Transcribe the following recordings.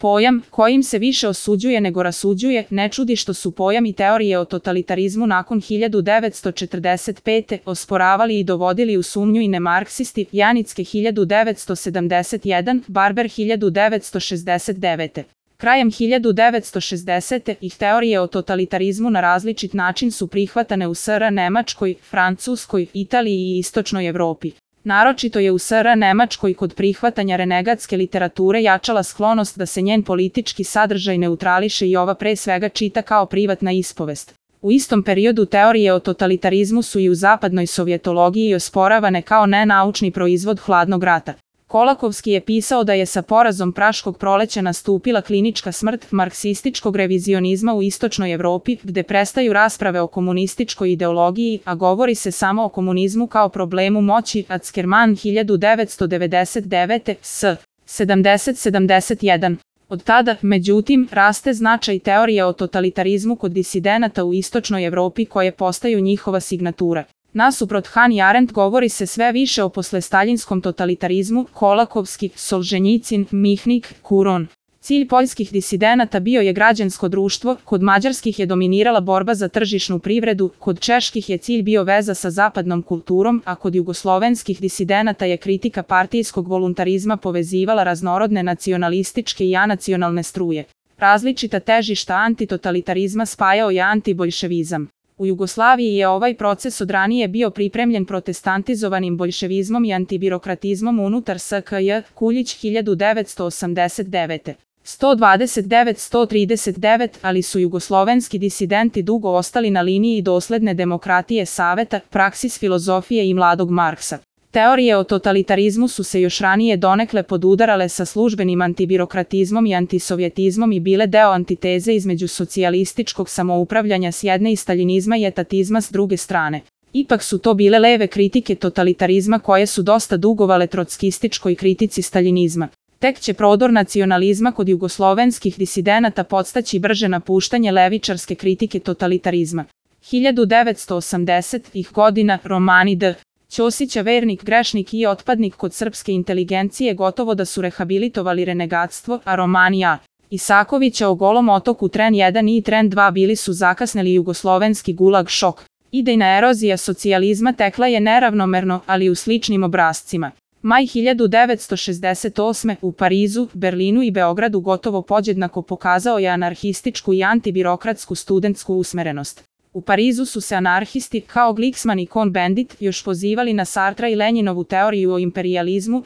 Pojam, kojim se više osuđuje nego rasuđuje, ne čudi što su pojam i teorije o totalitarizmu nakon 1945. osporavali i dovodili u sumnju i nemarksisti, Janicke 1971, Barber 1969. Krajem 1960. ih teorije o totalitarizmu na različit način su prihvatane u SR Nemačkoj, Francuskoj, Italiji i Istočnoj Evropi. Naročito je u SR Nemačkoj kod prihvatanja renegatske literature jačala sklonost da se njen politički sadržaj neutrališe i ova pre svega čita kao privatna ispovest. U istom periodu teorije o totalitarizmu su i u zapadnoj sovjetologiji osporavane kao nenaučni proizvod hladnog rata. Kolakovski je pisao da je sa porazom Praškog proleća nastupila klinička smrt marksističkog revizionizma u Istočnoj Evropi, gde prestaju rasprave o komunističkoj ideologiji, a govori se samo o komunizmu kao problemu moći. Ackerman 1999. s. 70-71. Od tada, međutim, raste značaj teorije o totalitarizmu kod disidenata u Istočnoj Evropi koje postaju njihova signatura. Nasuprot Hannah Arendt govori se sve više o poslestaljinskom totalitarizmu, Kolakovski, Solženjicin, Mihnik, Kuron. Cilj poljskih disidenata bio je građansko društvo, kod mađarskih je dominirala borba za tržišnu privredu, kod čeških je cilj bio veza sa zapadnom kulturom, a kod jugoslovenskih disidenata je kritika partijskog voluntarizma povezivala raznorodne nacionalističke i anacionalne struje. Različita težišta antitotalitarizma spajao je antiboljševizam. U Jugoslaviji je ovaj proces od ranije bio pripremljen protestantizovanim boljševizmom i antibirokratizmom unutar SKJ, Kuljić 1989. 129-139, ali su jugoslovenski disidenti dugo ostali na liniji dosledne demokratije Saveta, Praksis filozofije i Mladog Marksa. Teorije o totalitarizmu su se još ranije donekle podudarale sa službenim antibirokratizmom i antisovjetizmom i bile deo antiteze između socijalističkog samoupravljanja s jedne i staljinizma i etatizma s druge strane. Ipak su to bile leve kritike totalitarizma koje su dosta dugovale trockističkoj kritici staljinizma. Tek će prodor nacionalizma kod jugoslovenskih disidenata podstaći brže napuštanje levičarske kritike totalitarizma. 1980-ih godina romani D. Ćosića vernik, grešnik i otpadnik kod srpske inteligencije gotovo da su rehabilitovali renegatstvo, a romani A. Isakovića o Golom otoku Tren 1 i Tren 2 bili su zakasneli jugoslovenski gulag šok. Idejna erozija socijalizma tekla je neravnomerno, ali u sličnim obrascima. Maj 1968. u Parizu, Berlinu i Beogradu gotovo podjednako pokazao je anarhističku i antibirokratsku studentsku usmerenost. U Parizu su se anarhisti, kao Glicksman i Cohn-Bendit, još pozivali na Sartra i Lenjinovu teoriju o imperijalizmu,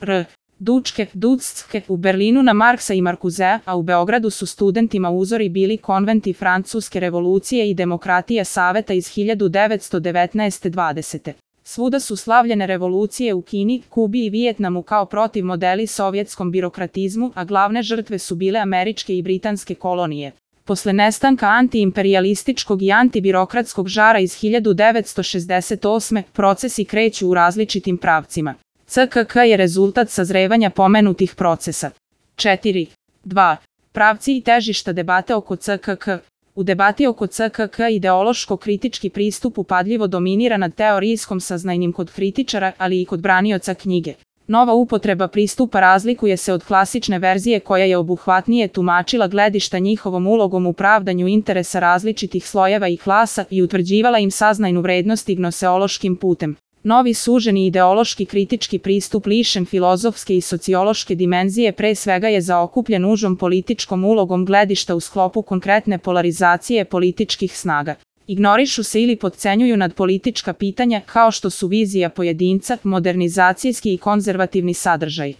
Dučke, Dudske, u Berlinu na Marksa i Markuzea, a u Beogradu su studentima uzori bili konventi Francuske revolucije i demokratija Saveta iz 1919-20. Svuda su slavljene revolucije u Kini, Kubi i Vijetnamu kao protiv modeli sovjetskom birokratizmu, a glavne žrtve su bile američke i britanske kolonije. Posle nestanka antiimperijalističkog i antibirokratskog žara iz 1968. procesi kreću u različitim pravcima. CKK je rezultat sazrevanja pomenutih procesa. 4. 2. Pravci i težišta debate oko CKK. U debati oko CKK ideološko-kritički pristup upadljivo dominira nad teorijskom saznajnim kod kritičara, ali i kod branioca knjige. Nova upotreba pristupa razlikuje se od klasične verzije koja je obuhvatnije tumačila gledišta njihovom ulogom u pravdanju interesa različitih slojeva i klasa i utvrđivala im saznajnu vrednost gnoseološkim putem. Novi suženi ideološki kritički pristup lišen filozofske i sociološke dimenzije pre svega je zaokupljen užom političkom ulogom gledišta u sklopu konkretne polarizacije političkih snaga. Ignorišu se ili potcenjuju nadpolitička pitanja kao što su vizija pojedinca, modernizacijski i konzervativni sadržaj.